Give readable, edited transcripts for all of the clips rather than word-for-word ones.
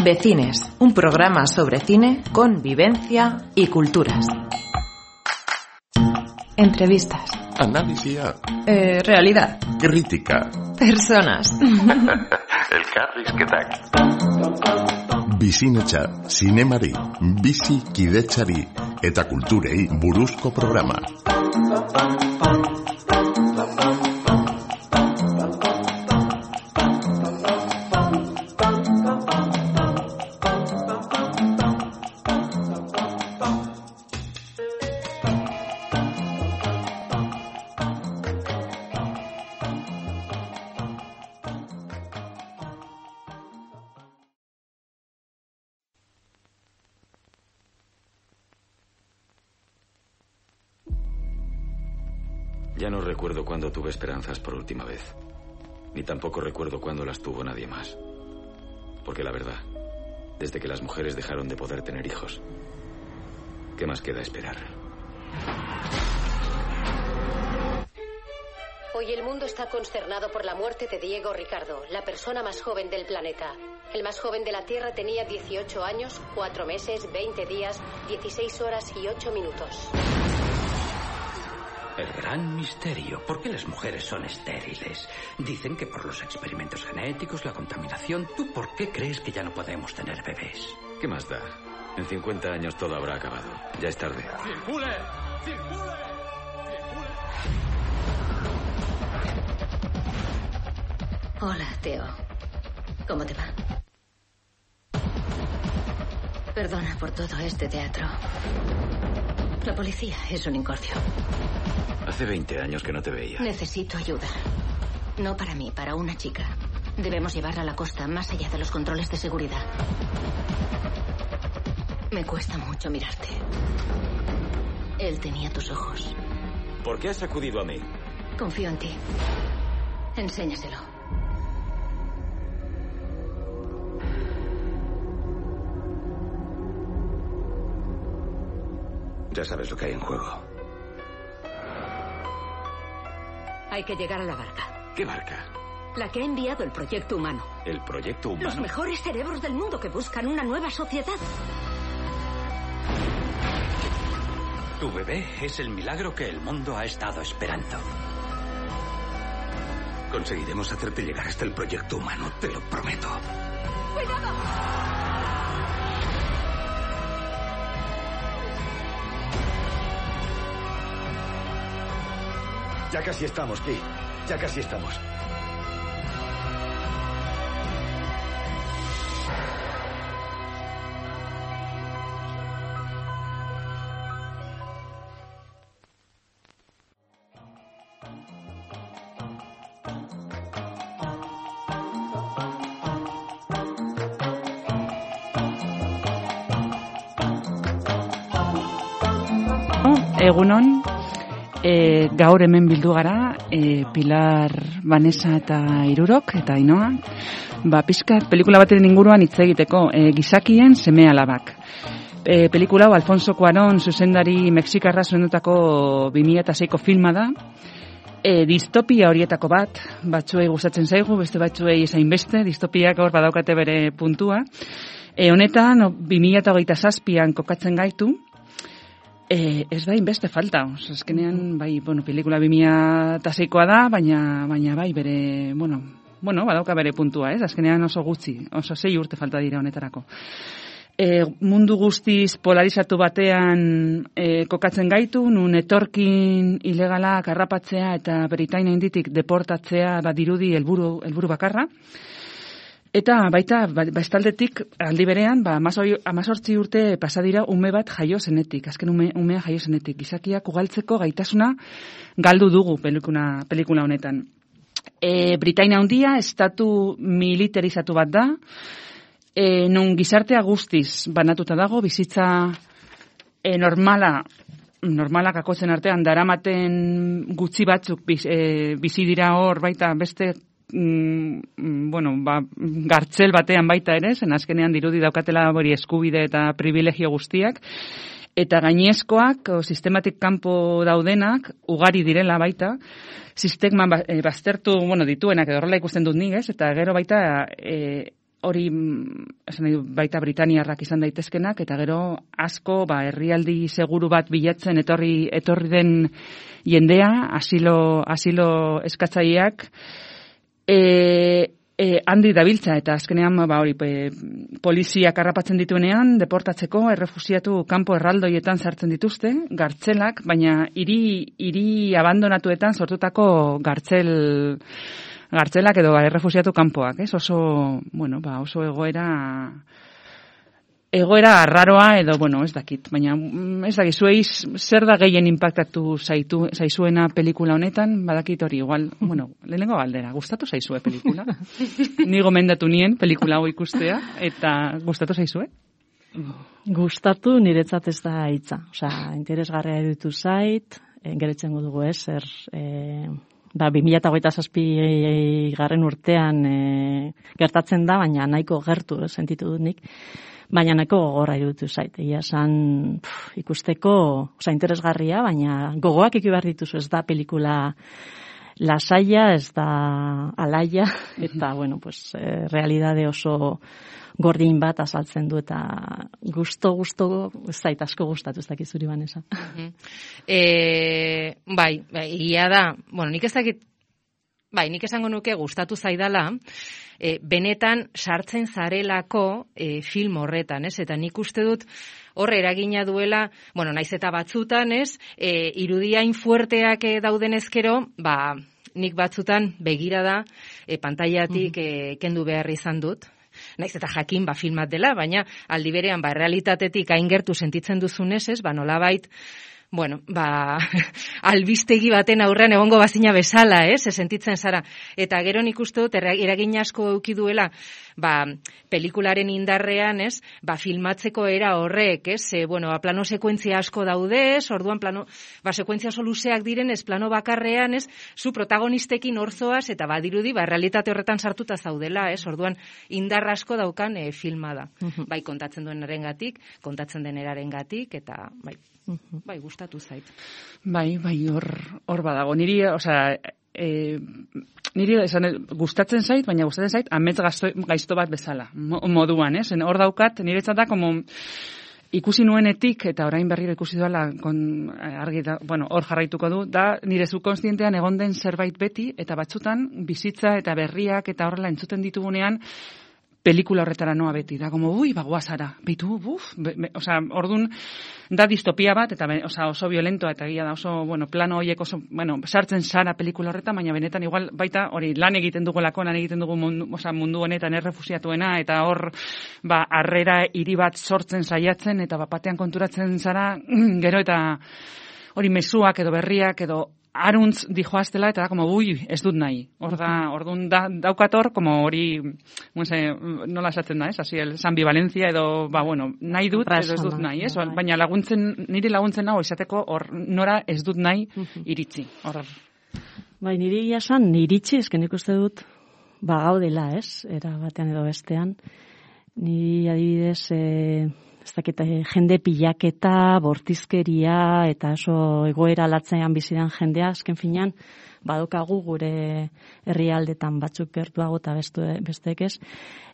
Vecines, un programa sobre cine, convivencia y culturas. Entrevistas. Analisia. Realidad. Kritika. Personas. Elkarrizketak. Bizinetxa, zinemari, bizikidetzari eta kulturei buruzko programa. Ya no recuerdo cuándo tuve esperanzas por última vez. Ni tampoco recuerdo cuándo las tuvo nadie más. Porque la verdad, desde que las mujeres dejaron de poder tener hijos, ¿qué más queda esperar? Hoy el mundo está consternado por la muerte de Diego Ricardo, la persona más joven del planeta. El más joven de la Tierra tenía 18 años, 4 meses, 20 días, 16 horas y 8 minutos. El gran misterio. ¿Por qué las mujeres son estériles? Dicen que por los experimentos genéticos, la contaminación. ¿Tú por qué crees que ya no podemos tener bebés? ¿Qué más da? En 50 años todo habrá acabado. Ya es tarde. ¡Circule! ¡Circule! Hola, Teo. ¿Cómo te va? Perdona por todo este teatro. La policía es un incordio. Hace 20 años que no te veía. Necesito ayuda. No para mí, para una chica. Debemos llevarla a la costa, más allá de los controles de seguridad. Me cuesta mucho mirarte. Él tenía tus ojos. ¿Por qué has acudido a mí? Confío en ti. Enséñaselo. Ya sabes lo que hay en juego. Hay que llegar a la barca. ¿Qué barca? La que ha enviado el Proyecto Humano. ¿El Proyecto Humano? Los mejores cerebros del mundo que buscan una nueva sociedad. Tu bebé es el milagro que el mundo ha estado esperando. Conseguiremos hacerte llegar hasta el Proyecto Humano, te lo prometo. ¡Cuidado! Ya casi estamos, Ki. Ya casi estamos. Egunon. Gaur hemen bildu gara, Pilar, Vanessa eta Irurok, eta Ainoa, pixkat pelikula baten inguruan hitz egiteko, gizakien seme alabak. Pelikula hau Alfonso Cuarón zuzendari mexikarra zuzendutako 2006ko filma da, distopia horietako bat, batzuei gustatzen zaigu, beste batzuei esain beste, distopiak hor badaukate bere puntua. Honetan, 2027an kokatzen gaitu, ez da inbeste falta, azkenean, pelikula 2006koa da, baina bai bere, badauka bere puntua, azkenean oso gutxi, oso 6 urte falta dira honetarako. Mundu guztiz polarizatu batean kokatzen gaitu, nun etorkin ilegalak harrapatzea eta Britainia inditik deportatzea dirudi helburu bakarra. Eta baita, bestaldetik aldi berean, 18 urte pasa dira ume bat jaio zenetik, azken umea jaio zenetik. Gizakiak ugaltzeko gaitasuna galdu dugu pelikula honetan. Britainia handia estatu militarizatu bat da, non gizartea guztiz banatuta dago, bizitza normalak akotzen artean daramaten gutxi batzuk bizi dira hor baita beste gartzel batean baita ere, zen azkenean dirudi daukatela hori eskubide eta privilegio guztiak, eta gainezkoak, sistematik kanpo daudenak, ugari direla baita, sisteman baztertu, dituenak edo horrela ikusten dut nik, eta gero baita hori esan nahi baita britaniarrak izan daitezkenak, eta gero asko herrialdi seguru bat bilatzen etorri den jendea, asilo eskatzaileak, handi dabiltza, eta azkenean poliziak harrapatzen dituenean, deportatzeko errefusiatu kanpo erraldoietan sartzen dituzte, gartzelak, baina hiri abandonatuetan sortutako gartzelak edo errefusiatu kanpoak, ez? Oso egoera arraroa edo, ez dakit, baina ez dakit, zuei zer da gehien impactatu zaizuena pelikula honetan, badakit hori, igual, lehenengo galdera, gustatu zaizue pelikula? Ni gomendatu nien pelikula hau ikustea, eta gustatu zaizue? Gustatu niretzat ez da hitza, interesgarria iruditu zait, geretzen dugu zer... 2027 garren urtean gertatzen da, baina nahiko gertu sentitu dut nik, baina nahiko gogorra iruditu zait. Egia esan ikusteko, interesgarria, baina gogoak eki behar dituzu, ez da pelikula lasaia, ez da alaia, eta, realidade oso gordin bat azaltzen du, eta gusto, zait asko gustatu, ez dakit zuri Vanessa. Egia da, nik ez dakit, nik esango nuke gustatu zaidala, benetan sartzen zarelako film horretan, ez? Eta nik uste dut horre eragina duela, naiz eta batzutan, ez? Irudiain fuerteak dauden ezkero, nik batzutan begirada pantailatik kendu behar izan dut. Naiz eta jakin filmat dela, baina aldi berean realitatetik hain gertu sentitzen duzunez, ez? Nolabait, albistegi baten aurrean egongo bazina bezala, ez? Sentitzen zara. Eta gero nik uste dut eragin asko eduki duela, pelikularen indarrean, ez? Filmatzeko era horrek, ez? Plano sekuentzia asko daude, ez? Orduan sekuentzia oso luzeak diren, ez? Plano bakarrean, ez? Zu protagonistekin orzoaz, eta badirudi, realitate horretan sartuta zaudela, ez? Orduan indar asko daukan filma da. Bai, kontatzen duenarengatik, kontatzen denerarengatik, eta gustatu zait. Hor badago. Niri gustatzen zait, baina gustatzen zait amets gaizto bat bezala, moduan, ez? Hor daukat, niretzat da, ikusi nuenetik, eta orain berriro ikusi duela, hor jarraituko du, da nire subkonstientean egon den zerbait beti, eta batzutan bizitza eta berriak eta horrela entzuten ditugunean, pelikula horretara noa beti, da, guazara, orduan, da distopia bat, eta oso violentoa, eta egia da, oso, plano horiek oso, sartzen zara pelikula horretan, baina benetan, igual, baita, hori, lan egiten dugu mundu honetan errefusiatuena, eta hor, harrera hiri bat sortzen saiatzen, eta batean konturatzen zara, gero, eta hori mezuak edo berriak edo aruntz dijoaztela, eta da, ez dut nahi. Orduan daukator, hori, nola esatzen da, ez? Ambivalencia edo, nahi dut, edo ez dut nahi, ez? Baina niri laguntzen hau esateko, nora ez dut nahi iritzi. Niri esan, iritzi, esken ikuste dut, gaudela, ez? Era batean edo bestean. Niri adibidez, ez dakit, jende pilaketa, bortizkeria, eta oso egoera latzean bizidan jendea, azken finean, badokagu gure herrialdetan batzuk gertuago eta besteek ez,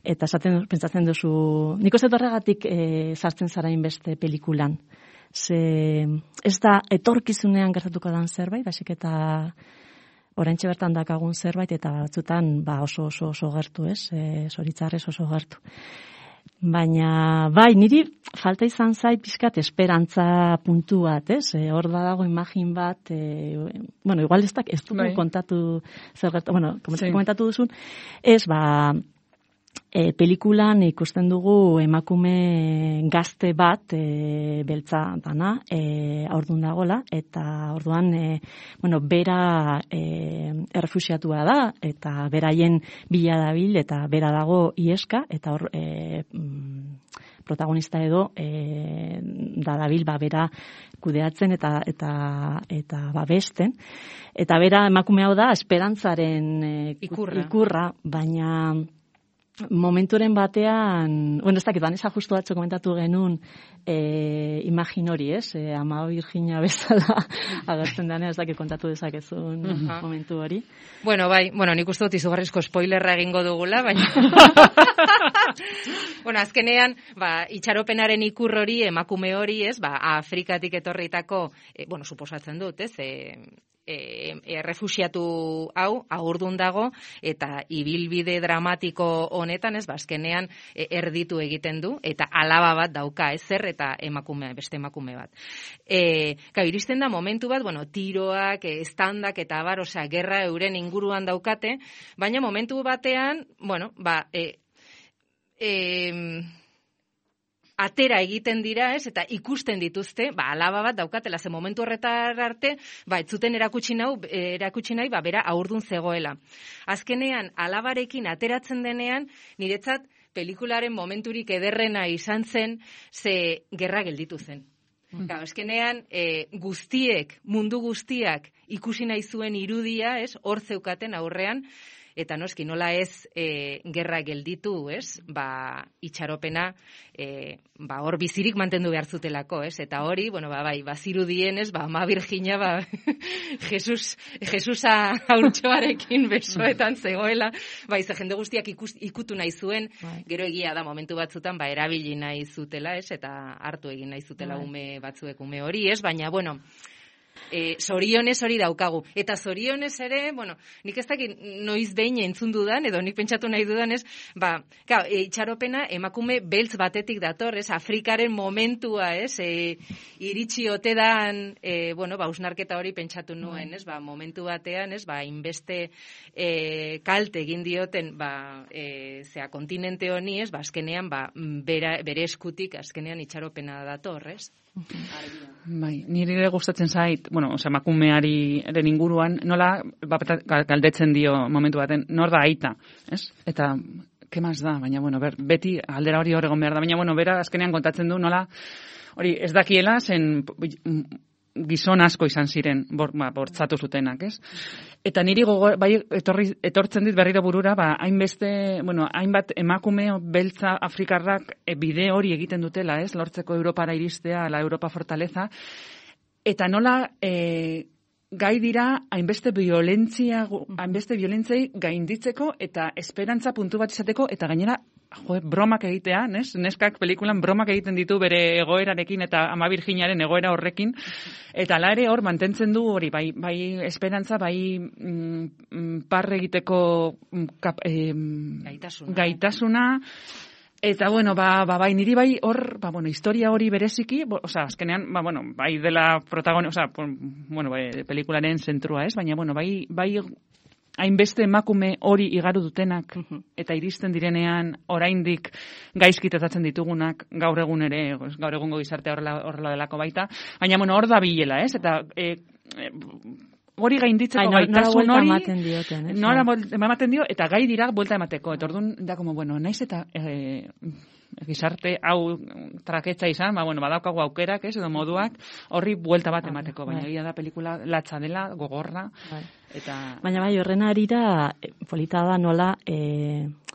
eta pentsatzen duzu, nik uste horregatik sartzen zarain beste pelikulan. Ez da etorkizunean gertatuko dan zerbait, basik eta oraintxe bertan dakagun zerbait, eta batzutan oso gertu ez, zoritzarrez oso gertu. Baina, niri falta izan zait pixkat esperantza puntu bat, ez? Hor dago imagin bat, igual ez dugu kontatu zer gertu, komentatu duzun, ez, pelikulan ikusten dugu emakume gazte bat, beltza dana, orduan dagola, eta orduan, bera errefusiatua da, eta beraien bila dabil, eta bera dago ieska, eta hor, protagonista edo, da dabil, bera kudeatzen eta babesten, eta bera emakume hau da, esperantzaren ikurra, baina momenturen batean, ez dakit, Vanessa justu atzo komentatu genuen imagin hori, Ama Virginia bezala agertzen denean, ez dakit kontatu dezakezun momentu hori. Bueno, nik uste dut izugarrizko spoilerra egingo dugula, baina azkenean, itxaropenaren ikur hori, emakume hori, Afrikatik etorritako, suposatzen dut, refuxiatu hau, agurdun dago, eta ibilbide dramatiko honetan, azkenean erditu egiten du, eta alaba bat dauka, eta beste emakume bat. Iristen da momentu bat, tiroak, estandak, eta gerra euren inguruan daukate, baina momentu batean, atera egiten dira, eta ikusten dituzte, alaba bat daukatela, ze momentu horretar arte, ez zuten erakutsi nahi, bera aurdun zegoela. Azkenean, alabarekin ateratzen denean, niretzat, pelikularen momenturik ederrena izan zen, ze gerra gelditu zen. Azkenean, mundu guztiak ikusi nahi zuen irudia, hor zeukaten aurrean, eta noski nola ez gerra gelditu, itxaropena hor bizirik mantendu behar zutelako, eta hori, bazirudien, Ama Virginia, Jesusa haurtxoarekin besoetan zegoela, ze jende guztiak ikutu nahi zuen, gero egia da momentu batzutan, erabili nahi zutela, eta hartu egin nahi zutela ume batzuek ume hori, baina, zorionez hori daukagu. Eta zorionez ere, nik ez dakit noiz behin entzun dudan, edo nik pentsatu nahi dudan, itxaropena emakume beltz batetik dator, Afrikaren momentua, iritsi ote dan, usnarketa hori pentsatu nuen, momentu batean, inbeste kalte egin dioten, kontinente honi, azkenean, bere eskutik, azkenean itxaropena dator, Nire gustatzen zait, emakumearen inguruan, nola galdetzen dio momentu baten, nor da aita, Eta, ke maz da, baina, beti aldera hori horregon behar da, baina, bera azkenean kontatzen du, nola, hori ez dakiela, zen gizon asko izan ziren, bortzatu zutenak, Eta niri etortzen dit berriro burura, hainbat emakume beltza afrikarrak bide hori egiten dutela, lortzeko Europara iristea, la Europa fortaleza, eta nola gai dira hainbeste violentziai gainditzeko eta esperantza puntu bat izateko, eta gainera bromak egitea, neskak pelikulan bromak egiten ditu bere egoerarekin eta Ama Virginiaren egoera horrekin, eta ala ere hor mantentzen du hori, bai esperantza, bai parre egiteko gaitasuna, eta bai niri bai hor, historia hori bereziki, azkenean, bai dela protagonista, pelikularen zentrua, baina, bai hainbeste emakume hori igaru dutenak, eta iristen direnean oraindik gaizki tratatzen ditugunak, gaur egun ere, gaur egungo gizartea horrela delako baita, baina, hor da bilela, eta hori gainditzeko gaitasun hori, nora ematen dio, eta gai dira buelta emateko, eta orduan da, naiz eta gizarte hau traketza izan, badaukagu aukerak, edo moduak, horri buelta bat emateko, baina egia da pelikula latza dela, gogorra, eta... Baina horren arira, polita da nola,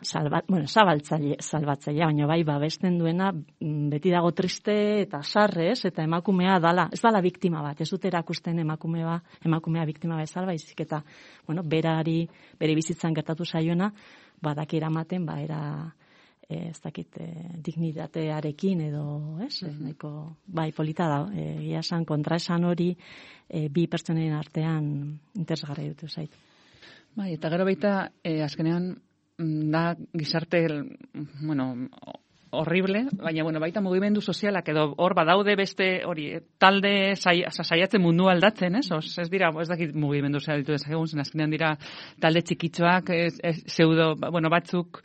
salbatzailea, baina babesten duena, beti dago triste eta sarrez, eta emakumea dala, ez dala biktima bat, ez dut erakusten emakumea biktima bezala, baizik eta, berari, bere bizitzan gertatu zaiona, badaki eramaten, ez dakit, dignitatearekin edo, nahiko, polita da, esan kontraesan hori, bi pertsonen artean interesgarri dut zait. Eta gero baita, azkenean, da gizarte, horrible, baina, baita mugimendu sozialak edo hor badaude beste hori, talde saiatzen mundu aldatzen, ez dira, ez dakit mugimendu sozial ditu dezakegun, azkenean dira talde txikitxoak, pseudo, batzuk,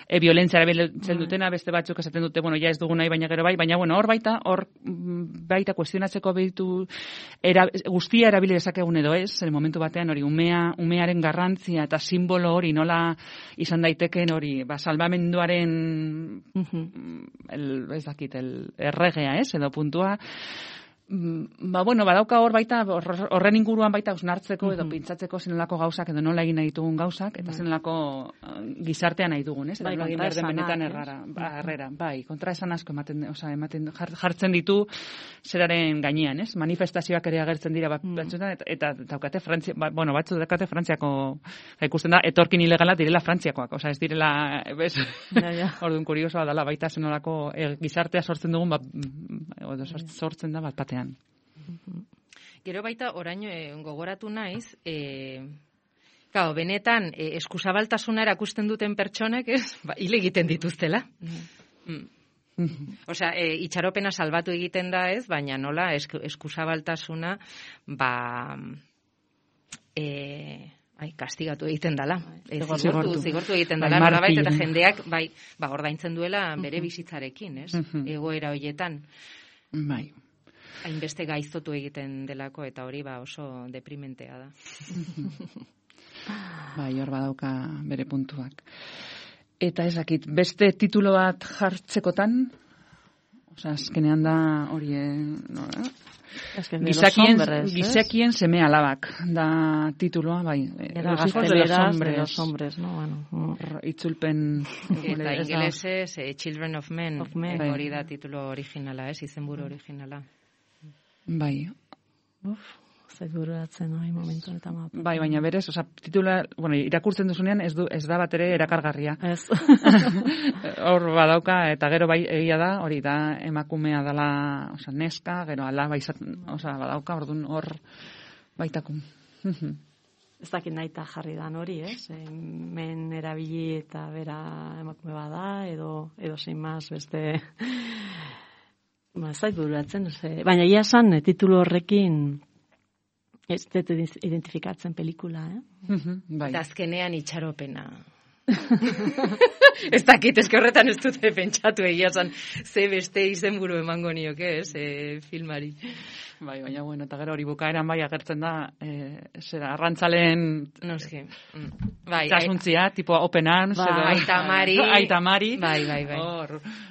violentziara biltzen dutena, beste batzuk esaten dute, ja ez dugu nahi, baina gero bai, baina, hor baita kuestionatzeko behitu guztia erabili dezakegun edo ez, momentu batean hori, umearen garrantzia eta simbolo hori nola izan daiteken hori, salbamenduaren ez dakit, erregea, edo puntua, Badauka hor baita, horren inguruan baita ausnartzeko edo pintzatzeko zenolako gauzak edo nola egin nahi ditugun gauzak, eta zenolako gizartean nahi dugun, ez? Bai, harrera. Bai, kontraesan asko ematen jartzen ditu zeraren gainean, ez? Manifestazioak ere agertzen dira batzuetan, eta daukate Frantzia, batzu daukate Frantziako, ikusten da, etorkin ilegala direla Frantziakoak, ez direla, orduan kuriosoa dela, baita zenolako gizartea sortzen dugun, sortzen da bat batean. Gero baita, orain gogoratu naiz, benetan, eskuzabaltasuna erakusten duten pertsonek, hile egiten dituztela. Osea, itxaropena salbatu egiten da ez, baina nola eskuzabaltasuna, kastigatu egiten dela. Zigortu egiten dela, norbait, eta jendeak, ordaintzen duela bere bizitzarekin, ez? Egoera horietan. Bai. Hainbeste gaiztotu egiten delako, eta hori oso deprimentea da. Bai, hor badauka bere puntuak. Eta ezakit, beste titulo bat jartzekotan, azkenean da hori, Gizakien seme alabak da tituloa, bai. Los hijos de los hombres, no? Itzulpen... Eta ingelesez, Children of Men, hori da titulo originala, izenburu originala. Bai. Zaitbururatzen hori momentu eta mapa. Bai, baina berez, titula, irakurtzen duzunean ez da bat ere erakargarria. Ez. Hor badauka, eta gero bai egia da, hori da emakumea dela, neska, gero alaba badauka, orduan hor baitakun. Ez dakit nahi eta jarri dan hori, ez? Men erabili eta bera emakume bada, edo zein maz beste... Ez zaitbururatzen, baina ia esan titulu horrekin ez dut identifikatzen pelikula, Eta azkenean itxaropena. Ez dakit, eske horretan ez dute pentsatu egia zan, ze beste izenburu emango nioke, filmari. Bai, baina eta gero hori bukaeran bai agertzen da, arrantzaleen txasuntzia, tipo open arms, aita mari. Bai.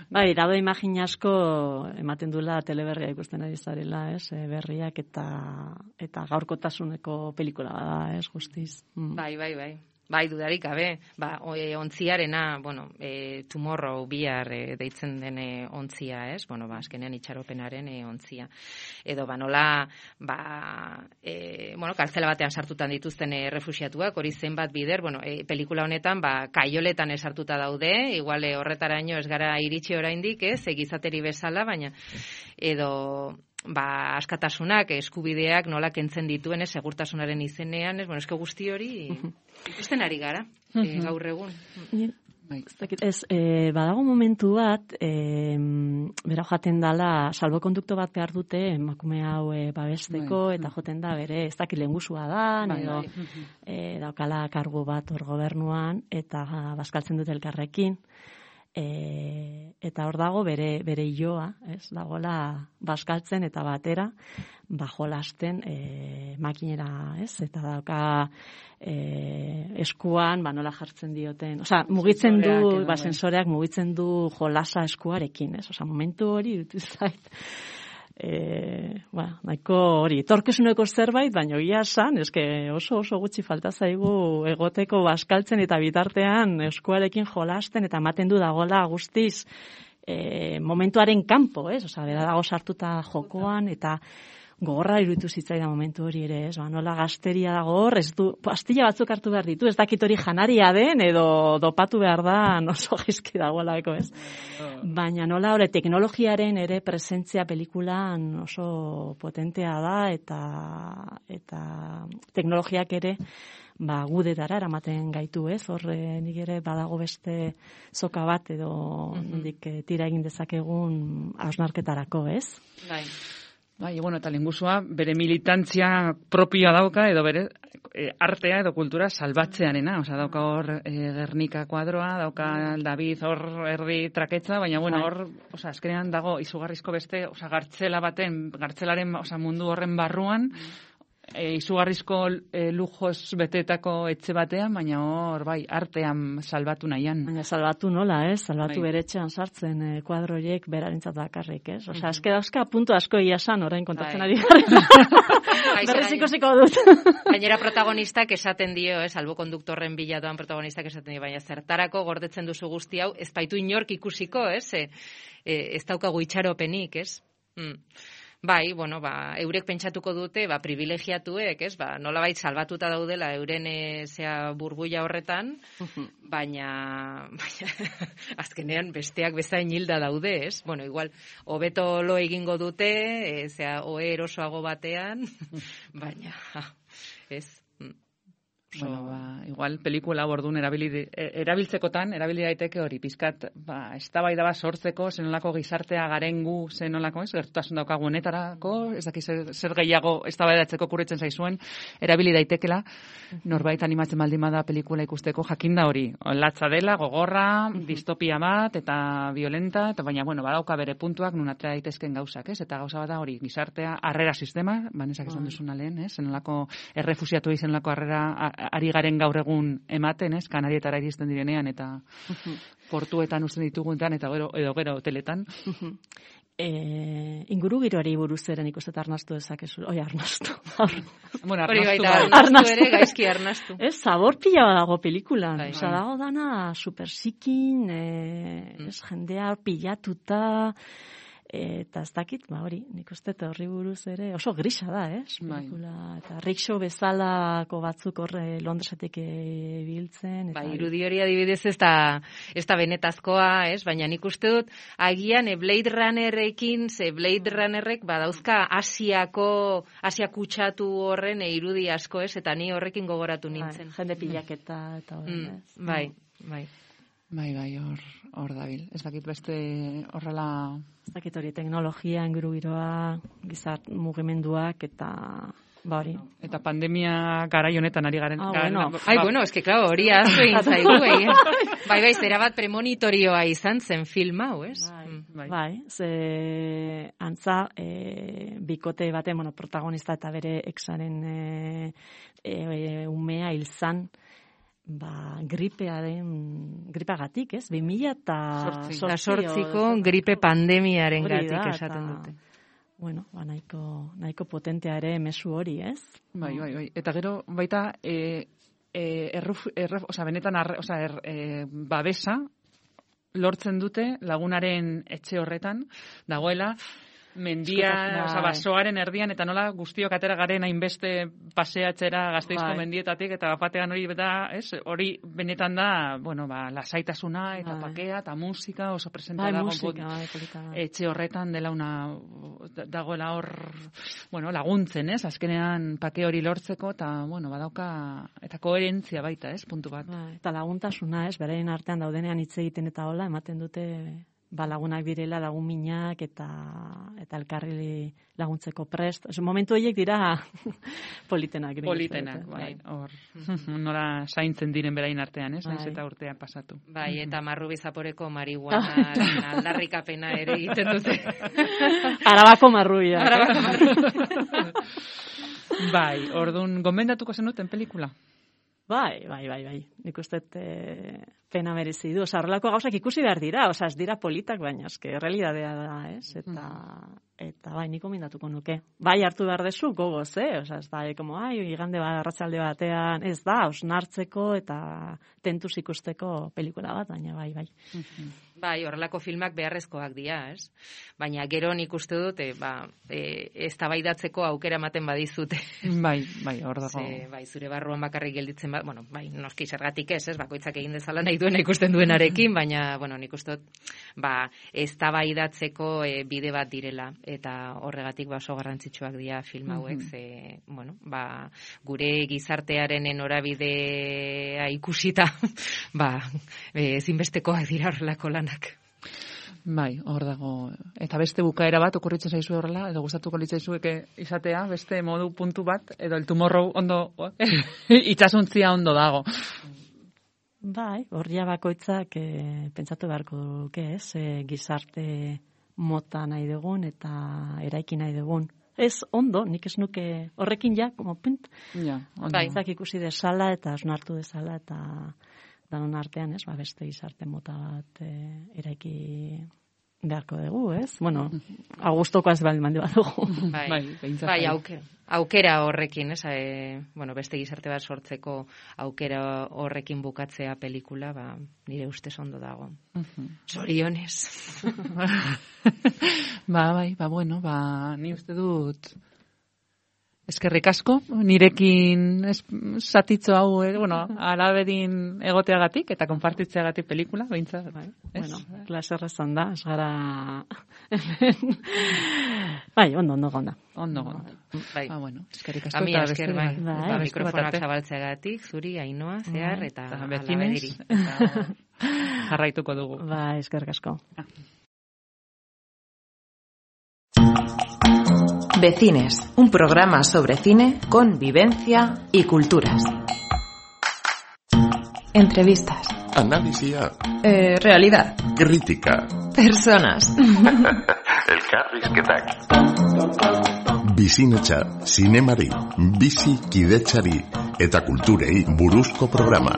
Bai, dado imagina asko ematen duela teleberria ikusten ari zarela, berriak eta gaurkotasuneko pelikula da, guztiz. Bai. Bai, dudarik gabe, ontziarena, Tomorrow, bihar deitzen den ontzia, azkenean itxaropenaren ontzia. Edo, nola, kartzela batean sartutan dituzten refuxiatuak, hori zenbat bider, pelikula honetan, kaioletan sartuta daude, igual horretaraino ez gara iritsi oraindik, egizateri bezala, baina, edo... askatasunak, eskubideak nola kentzen dituen, segurtasunaren izenean, eske guzti hori ikusten ari gara, gaur egun. Badago momentu bat, bera jaten dala, salbokondukto bat behar dute, emakume hau babesteko, eta joten da bere, ez dakit lehengusua da, edo daukala kargu bat hor gobernuan, eta bazkaltzen dute elkarrekin, eta hor dago bere illoa, dagoela bazkaltzen eta batera jolasten makinera, eta dauka eskuan nola jartzen dioten, mugitzen du, sensoreak mugitzen du jolasa eskuarekin, momentu hori dutu zait. Nahiko hori, etorkizuneko zerbait, baina egia esan, oso gutxi falta zaigu egoteko bazkaltzen eta bitartean eskuarekin jolasten eta ematen du dagoela guztiz momentuaren kanpo, bera dago sartuta jokoan eta gogorra iruditu zitzaidan momentu hori ere, nola gazteria dago hor, pastilla batzuk hartu behar ditu, ez dakit hori janaria den, edo dopatu behar da, oso gizki dagoela, baina nola hori teknologiaren ere presentzia pelikulan oso potentea da, eta teknologiak ere gudetara eramaten gaitu, hor nik ere badago beste soka bat, edo nondik tira egin dezakegun hausnarketarako, Bai, eta lehengusua bere militantzia propioa dauka, edo bere artea edo kultura salbatzearena, dauka hor Gernika kuadroa, dauka David hor erdi traketza, baina hor, azkenean dago izugarrizko beste, gartzelaren mundu horren barruan, izugarrizko lujos betetako etxe batean, baina hor, bai, artean salbatu nahian. Baina salbatu nola, salbatu bere etxean sartzen kuadroiek berarentzat bakarrik, ez? Osea, azke puntu asko iasan orain kontatzen ari gara. Berriz ikusiko dut. Gainera protagonistak esaten dio, albo konduktorren bila doan protagonistak esaten dio, baina zertarako gordetzen duzu guzti hau, ez baitu inork ikusiko, ez daukagu itxaropenik, ez? Bai, bueno, eurek pentsatuko dute, privilegiatuek, nolabait salbatuta daudela euren burbuila horretan, baina azkenean besteak bezain hilda daude, ez? Bueno, igual, hobeto lo egingo dute, ohe erosoago batean, baina, ez? Bueno, igual pelikula bordun erabiltzekotan, erabili daiteke hori, pizkat, eztabaida bat sortzeko, zenolako gizartea garengu, zenolako, gertutasun daukagu honetarako, ez daki zer gehiago eztabaidatzeko kurritzen zaizuen, erabili daitekela, norbait animatzen baldin bada pelikula ikusteko, jakinda hori, latza dela, gogorra, distopia bat, eta violenta, eta baina, bueno, badauka bere puntuak, nun atera daitezken gauzak, ez? Eta gauza bada hori, gizartea, harrera sistema, banesak esan duzuna lehen, zenolako errefusiatu zenolako harrera ari garen gaur egun ematen, Kanarietara iristen direnean, eta portuetan usten dituguntan, eta gero hoteletan. Ingurugiroari buruz eren ikustet arnastu dezakezu. Arnastu. Bueno, arnastu ere, gaizki arnastu. Zabor pila dago pelikulan. Osa, dago dana supersikin, jendea pilatuta, eta ez dakit, hori, nik uste horri buruz ere, oso grisa da, pelikula, eta rickshaw bezalako batzuk horre Londresetik biltzen. Irudi hori adibidez ez da benetazkoa, baina nik uste dut, agian Blade Runnerrekin, Blade Runnerrek badauzka Asia kutsatu horren irudi asko, eta ni horrekin gogoratu nintzen. Jende pilaketa eta horren, Bai, hor dabil. Ez dakit beste horrela... Ez dakit hori teknologia, ingurugiroa, gizart mugimenduak eta... hori. Eta pandemia garai honetan ari garen... bueno, eske, claro, hori aztu egin zaigu, Bai, zera bat premonitorioa izan zen film hau, ez? Bai, ze antza, bikote baten, protagonista eta bere exaren umea hilzan, gripagatik, 2008ko gripe pandemiaren gatik esaten dute. Bueno, nahiko potentea ere mezu hori, ez? Bai. Eta gero, baita, benetan, babesa lortzen dute lagunaren etxe horretan, dagoela, mendia, basoaren erdian, eta nola guztiok atera garen hainbeste paseatzera Gasteizko mendietatik, eta batean hori hori benetan da, lasaitasuna, eta pakea, eta musika, oso presenta dago etxe horretan dela dagoela hor, laguntzen, azkenean pake hori lortzeko, eta, badauka, eta koherentzia baita, puntu bat. Eta laguntasuna, beraien artean daudenean hitz egiten eta hola, ematen dute... lagunak direla, lagun minak eta elkarri laguntzeko prest. Momentu horiek dira politenak. Politenak, hor. Nola zaintzen diren berain artean, naiz eta urtean pasatu. Bai, eta Marrubi Zaporeko marihuana aldarrikapena ere egiten dute. Arabako marrubia. Bai, orduan, gomendatuko zenuten pelikula? Bai. Nik uste pena merezi du. Horrelako gauzak ikusi behar dira. Ez dira politak, baina realidadea da, Eta bai, nik gomendatuko nuke. Bai, hartu behar dezu, gogoz, ez da, igande bat, arratsalde batean, ez da, osnartzeko eta tentuz ikusteko pelikula bat, baina bai. Bai, horrelako filmak beharrezkoak dira, ez? Baina gero nik uste dut, eztabaidatzeko aukera ematen badizute. Bai, hor dago. Bai, zure barruan bakarrik gelditzen bat, bai, noski zergatik ez, bakoitzak egin dezala nahi duena ikusten duenarekin, baina, nik uste dut, eztabaidatzeko bide bat direla, eta horregatik oso garrantzitsuak dira film hauek, gure gizartearen norabidea ikusita, ezinbestekoak dira horrelako lan. Bai, hor dago. Eta beste bukaera bat okurritzen zaizu horrela, edo gustatuko litzaizueke izatea, beste modu puntu bat, edo el tomorrow ondo, itxasuntzia ondo dago. Bai, horria bakoitzak pentsatu beharko duke, gizarte mota nahi dugun eta eraiki nahi dugun. ez ondo, nik ez nuke horrekin ja, como pint, zak ikusi desala eta osnartu desala eta danon artean, ez, beste gizarte mota bat eraiki beharko dugu, ez? Bueno, agustoko ez baldin mandi bat dugu. Bai, aukera horrekin, ez? Beste gizarte bat sortzeko aukera horrekin bukatzea pelikula, nire ustez ondo dago. Zorionez. Bueno, ni uste dut eskerrik asko, nirekin zatitzo hau, alabedin egoteagatik eta konpartitzeagatik pelikula, behintzat. Bueno, klaserrezan da, ez gara... ondo gonda. Bueno, eskerrik asko. Ami esker, mikrofonak zabaltzeagatik, zuri, Ainhoa, Zehar, eta alabediri. Jarraituko dugu. Eskerrik asko. Vecines, un programa sobre cine con vivencia y culturas. Entrevistas. Analisia. Realidad. Kritika. Personas. Elkarrizketak. Bizinetxa, zinemari, bizi kidetxari eta kulturei buruzko programa.